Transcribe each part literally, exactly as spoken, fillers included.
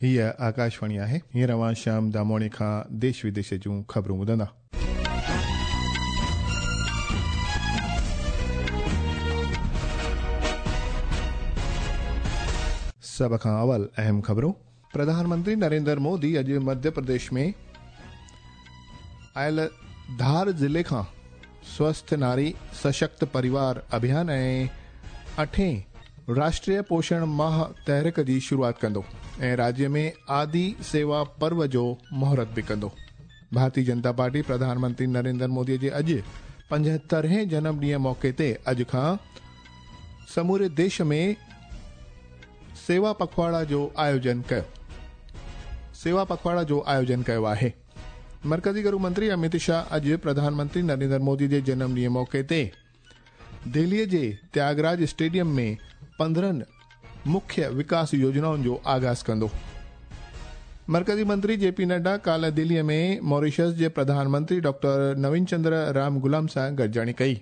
हीअ आकाशवाणी आहे। हींअर अव्हां श्याम दामोणी खां देश विदेश जूं ख़बरूं ॿुधंदा। सभ खां अवल अहम ख़बरूं। प्रधानमंत्री नरेंद्र मोदी अॼु मध्य प्रदेश में आयल धार ज़िले खां स्वस्थ नारी सशक्त परिवार अभियान ऐं अठें राष्ट्रीय पोषण माह तहरीक जी शुरूआत कंदो ऐं राज्य में आदि सेवा पर्व जो मुहूर्त बि कंदो। भारतीय जनता पार्टी प्रधानमंत्री नरेंद्र मोदी जे अॼु पंजहतरहें जनम ॾींहं मौक़े ते अॼु खां समूरे देश में सेवा पखवाड़ा जो आयोजन कयो सेवा पखवाड़ा जो आयोजन कयो आहे। मरकज़ी गृह मंत्री अमित शाह अॼु प्रधानमंत्री नरेंद्र मोदी जे जनम ॾींहं मौक़े ते दिल्लीअ जे त्यागराज स्टेडियम में पंद्रहं मुख्य विकास योजनाउनि जो आगाज़ कंदो। मरकज़ी मंत्री जे पी नड्डा काल्ह दिल्लीअ में मॉरिशस जे प्रधानमंत्री डॉक्टर नवीन चंद्र राम गुलाम सां गॾिजाणी कई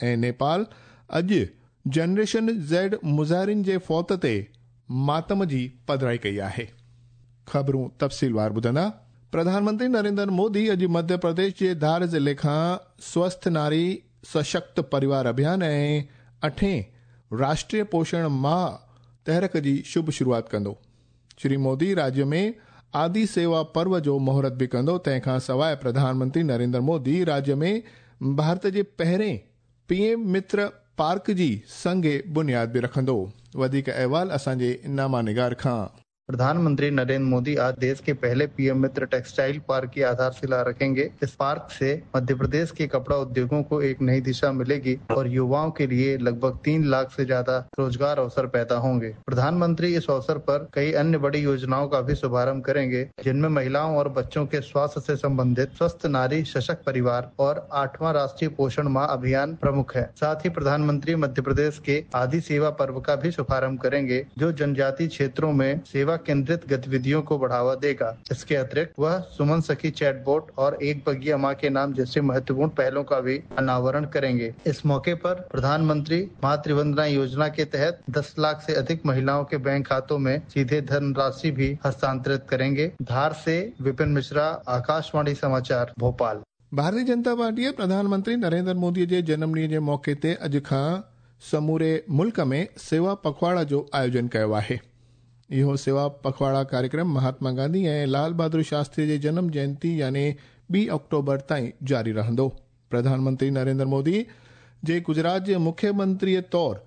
ऐं नेपाल अॼु जनरेशन ज़ेड मुज़ाहिरिन जे फौत ते मातम जी पधराई कई आहे। ख़बरूं तफ़सीलवार ॿुधंदा। प्रधानमंत्री नरेंद्र मोदी अॼु मध्य प्रदेश जे धार ज़िले खां स्वस्थ नारी सशक्त परिवार अभियान ऐं अठें राष्ट्रीय पोषण माह तहरीक जी शुभ शुरूआत कंदो। श्री मोदी राज्य में आदि सेवा पर्व जो मुहूर्त बि कंदो। तंहिंखां सवाइ प्रधानमंत्री नरेंद्र मोदी राज्य में भारत जे पहिरें पीएम मित्र पार्क जी संगे बुनियाद बि रखंदो। वधीक अहवाल असांजे नामा निगार खां। प्रधानमंत्री नरेंद्र मोदी आज देश के पहले पीएम मित्र टेक्सटाइल पार्क की आधारशिला रखेंगे। इस पार्क से मध्य प्रदेश के कपड़ा उद्योगों को एक नई दिशा मिलेगी और युवाओं के लिए लगभग तीन लाख से ज्यादा रोजगार अवसर पैदा होंगे। प्रधानमंत्री इस अवसर पर कई अन्य बड़ी योजनाओं का भी शुभारंभ करेंगे, जिनमें महिलाओं और बच्चों के स्वास्थ्य से संबंधित स्वस्थ नारी सशक्त परिवार और आठवां राष्ट्रीय पोषण माह अभियान प्रमुख है। साथ ही प्रधानमंत्री मध्य प्रदेश के आदि सेवा पर्व का भी शुभारम्भ करेंगे, जो जनजातीय क्षेत्रों में सेवा केंद्रित गतिविधियों को बढ़ावा देगा। इसके अतिरिक्त वह सुमन सखी चैटबॉट और एक बगिया मां के नाम जैसे महत्वपूर्ण पहलों का भी अनावरण करेंगे। इस मौके पर प्रधानमंत्री मातृ वंदना योजना के तहत दस लाख से अधिक महिलाओं के बैंक खातों में सीधे धनराशि भी हस्तांतरित करेंगे। धार से विपिन मिश्रा, आकाशवाणी समाचार, भोपाल। भारतीय जनता पार्टी प्रधानमंत्री नरेंद्र मोदी जे जनम ॾींहं जे मौक़े ते अॼु खां समूरे मुल्क में सेवा पखवाड़ा जो आयोजन कयो आहे। इहो सेवा पखवाड़ा कार्यक्रम महात्मा गांधी ऐं लाल बहादुर शास्त्री जे जनम जयंती यानी ॿी अक्टूबर ताईं जारी रहंदो। प्रधानमंत्री नरेंद्र मोदी जे गुजरात जे मुख्यमंत्रीअ तौर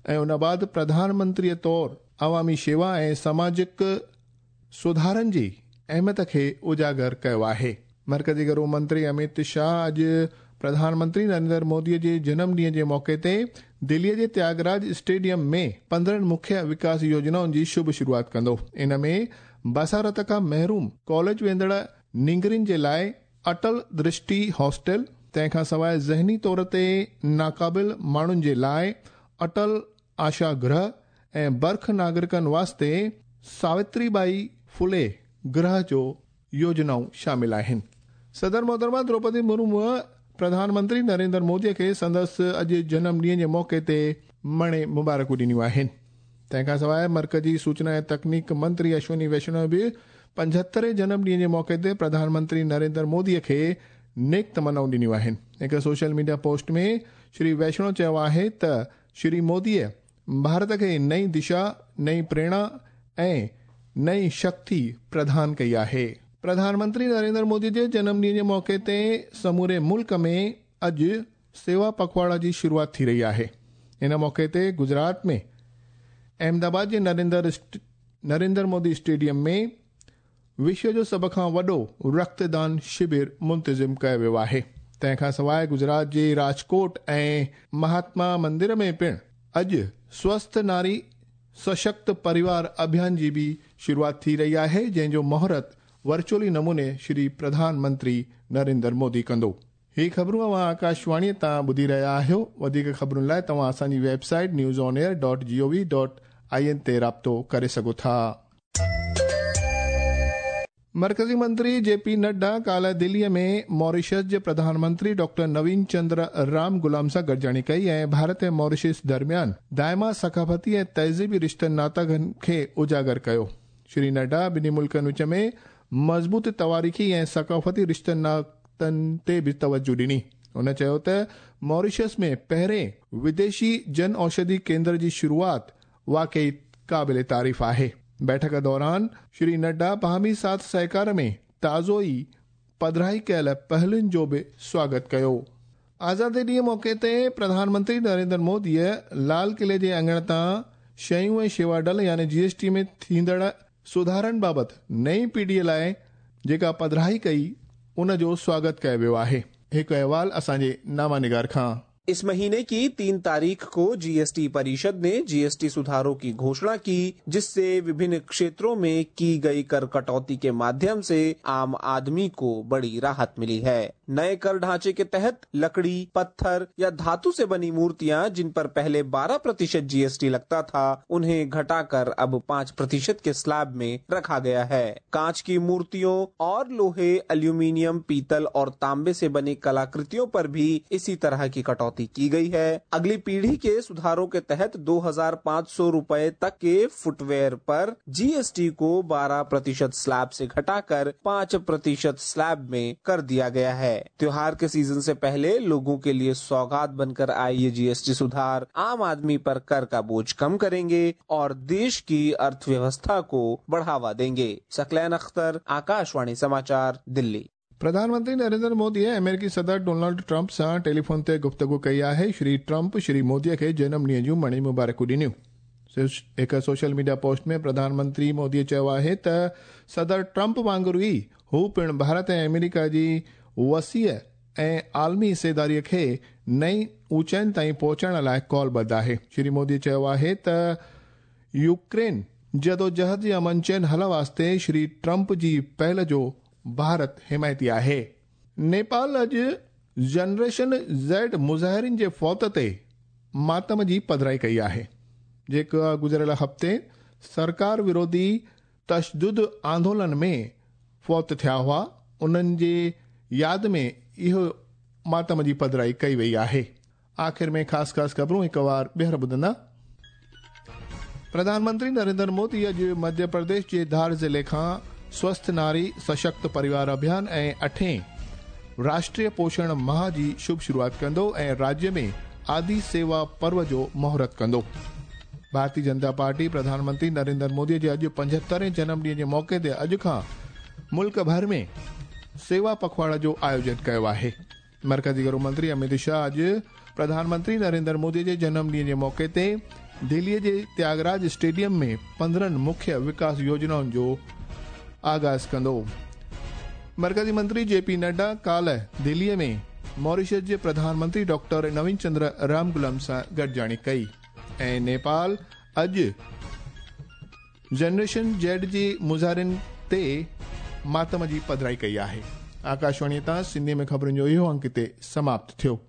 ऐं उन बाद प्रधानमंत्रीअ तौर अवामी शेवा ऐं सामाजिक सुधारनि जी अहमियत खे उजागर कयो आहे। मरकज़ी गृह मंत्री अमित शाह अॼु प्रधानमंत्री नरेंद्र मोदी जे जनम ॾींहं जे मौक़े ते दिल्लीअ जे त्यागराज स्टेडियम में पंद्रहं मुख्य विकास योजनाउनि जी शुभ शुरूआत कंदो। इन में बसारत खां महरूम कॉलेज वेंदड़ नींगरियुनि जे लाइ अटल दृष्टि हॉस्टल, तंहिंखां सवाइ ज़हनी तौर ते नाक़ाबिल माण्हुनि जे लाइ अटल आशा गृह ऐं बर्ख नागरिकनि वास्ते सावित्रीबाई फुले गृह जो योजनाऊं शामिल आहिनि। सदर मोहतरमा द्रौपदी मुर्मू प्रधानमंत्री नरेंद्र मोदी खे संदसि अॼु जनम ॾींहं जे मौक़े ते मणे मुबारकूं ॾिनियूं आहिनि। तंहिंखां सवाइ मरकज़ी सूचना ऐं तकनीक मंत्री अश्विनी वैष्णव बि पंजहतरें जनम ॾींहं जे मौक़े ते प्रधानमंत्री नरेंद्र मोदीअ खे नेक तमन्नाऊं ॾिनियूं आहिनि। हिकु सोशल मीडिया पोस्ट में श्री वैष्णव चयो आहे त श्री मोदीअ भारत खे नई दिशा, नई प्रेरणा ऐं नई शक्ति प्रदान कई आहे। प्रधानमंत्री नरेंद्र मोदी जे जनम ॾींहं जे मौक़े ते समूरे मुल्क में अॼु सेवा पखवाड़ा जी शुरूआत थी रही आहे। इन मौक़े ते गुजरात में अहमदाबाद जे नरेंद्र नरेंद्र मोदी स्टेडियम में विश्व जो सभ खां वॾो रक्तदान शिविर मुंतज़िम कयो वियो आहे। तंहिंखां सवाइ गुजरात जे राजकोट ऐं महात्मा मंदिर में पिणु अॼु स्वस्थ नारी सशक्त परिवार अभियान जी बि शुरूआत थी रही आहे, जंहिंजो मुहूर्त वर्चुअली नमूने श्री प्रधानमंत्री नरेंद्र मोदी कंदो। ही ख़बरूं अव्हां आकाशवाणीअ तां ॿुधी रहिया आहियो। वधीक ख़बरुनि लाइ तव्हां असांजी website news on air dot G O V dot I N ते राब्तो करे सघो था। मरकज़ी मंत्री जे पी नड्डा काल्ह दिल्लीअ में मॉरिशस जे प्रधानमंत्री डॉक्टर नवीन चंद्र राम गुलाम सां गॾिजाणी कई ऐं भारत ऐं मॉरिशस दरमियान दाइमा सकाफ़ती ऐं तहज़ीबी रिश्तनि नातनि खे उजागर कयो। श्री नड्डा ॿिन्ही मुल्कनि विच में मज़बूत तवारीख़ी ऐं सकाफ़ती रिश्तनि नातनि ते बि तवजु ॾिनी। हुन चयो त मॉरिशस में पहिरें विदेशी जन औषधि केंद्र जी शुरूआत वाकई क़ाबिल तारीफ़ आहे। बैठक दौरान श्री नड्डा बाहमी साथ सहकार में ताज़ो ई पधराई कयल पहलुनि जो बि स्वागत कयो। आज़ादी ॾींहं मौक़े ते प्रधानमंत्री नरेंद्र मोदीअ लाल किले जे आङण तां शयूं ऐं शेवा डल यानी जीएसटी में थींदड़ सुधारनि बाबति नई पीढ़ीअ लाइ जेका पधराई कई उन जो स्वागत कयो वियो आहे। हिकु अहवाल असांजे नामा निगार खां। इस महीने की तीन तारीख को जीएसटी परिषद ने जीएसटी सुधारों की घोषणा की, जिससे विभिन्न क्षेत्रों में की गई कर कटौती के माध्यम से आम आदमी को बड़ी राहत मिली है। नए कर ढांचे के तहत लकड़ी, पत्थर या धातु से बनी मूर्तियां जिन पर पहले बारह प्रतिशत जीएसटी लगता था, उन्हें घटाकर अब पाँच प्रतिशत के स्लैब में रखा गया है। कांच की मूर्तियों और लोहे, एल्यूमिनियम, पीतल और तांबे से बनी कलाकृतियों पर भी इसी तरह की कटौती की गई है। अगली पीढ़ी के सुधारों के तहत दो हजार पाँच सौ रुपए तक के फुटवेयर पर जीएसटी को बारह प्रतिशत स्लैब से घटाकर पाँच प्रतिशत स्लैब में कर दिया गया है। त्योहार के सीजन से पहले लोगों के लिए सौगात बनकर आए ये जीएसटी सुधार आम आदमी पर कर का बोझ कम करेंगे और देश की अर्थव्यवस्था को बढ़ावा देंगे। सकलैन अख्तर, आकाशवाणी समाचार, दिल्ली। प्रधानमंत्री नरेंद्र मोदी अमेरिकी सदर डोनाल्ड ट्रंप सां टेलीफोन ते गुफ्तगू कई आहे। श्री ट्रंप श्री मोदीअ खे जनम ॾींहं जूं मणी मुबारकूं ॾिनियूं। हिकु सोशल मीडिया पोस्ट में प्रधानमंत्री मोदीअ चयो आहे त सदर ट्रंप वांगुरु ई हू पिणु भारत ऐं अमेरिका जी वसीअ ऐं आलमी हिस्सेदारीअ खे नई ऊंचाइनि ताईं पहुचण लाइ कॉलबद्ध आहे। श्री मोदी चयो आहे त यूक्रेन जदोजहद जे अमन चैन हल वास्ते श्री ट्रंप जी पहल जो भारत हिमायती आहे। नेपाल अॼु जनरेशन ज़ेड मुज़ाहिरिन जे फौत ते मातम जी पधराई कई आहे, जेका गुज़िरियल हफ़्ते सरकार विरोधी तशदुद आंदोलन में फौत थिया हुआ, उन्हनि जे याद में इहो मातम जी पधराई कई वई आहे। आख़िर में ख़ासि ख़ासि ख़बरूं हिकु वार ॿीहर ॿुधंदा। प्रधानमंत्री नरेंद्र मोदी अॼु मध्य प्रदेश जे धार ज़िले खां स्वस्थ नारी सशक्त परिवार अभियान ऐं अठें राष्ट्रीय पोषण माह जी शुभ शुरूआत कंदो ऐं राज्य में आदि सेवा पर्व जो मुहूर्त कंदो। भारतीय जनता पार्टी प्रधानमंत्री नरेंद्र मोदी जे अॼु पंजहतरें जनम ॾींहं जे मौक़े ते अॼु खां मुल्क भर में सेवा पखवाड़ा जो आयोजन कयो आहे। मरकज़ी गृह मंत्री अमित शाह अॼु प्रधानमंत्री नरेंद्र मोदी जे जनम ॾींहं जे मौक़े ते दिल्लीअ जे त्यागराज स्टेडियम में पंद्रहं मुख्य विकास योजनाउनि जो आगाज़ कंदो। मरकज़ी मंत्री जे पी नड्डा काल्ह दिल्लीअ में मॉरिशस जे प्रधानमंत्री डॉक्टर नवीन चंद्र रामगुलाम सां गॾिजाणी कई ऐं नेपाल अॼु जनरेशन जेड जी मुज़ाहिरिन ते मातम जी पधराई कई आहे। आकाशवाणी तां सिंधी में ख़बरुनि जो इहो अंक हिते समाप्त थियो।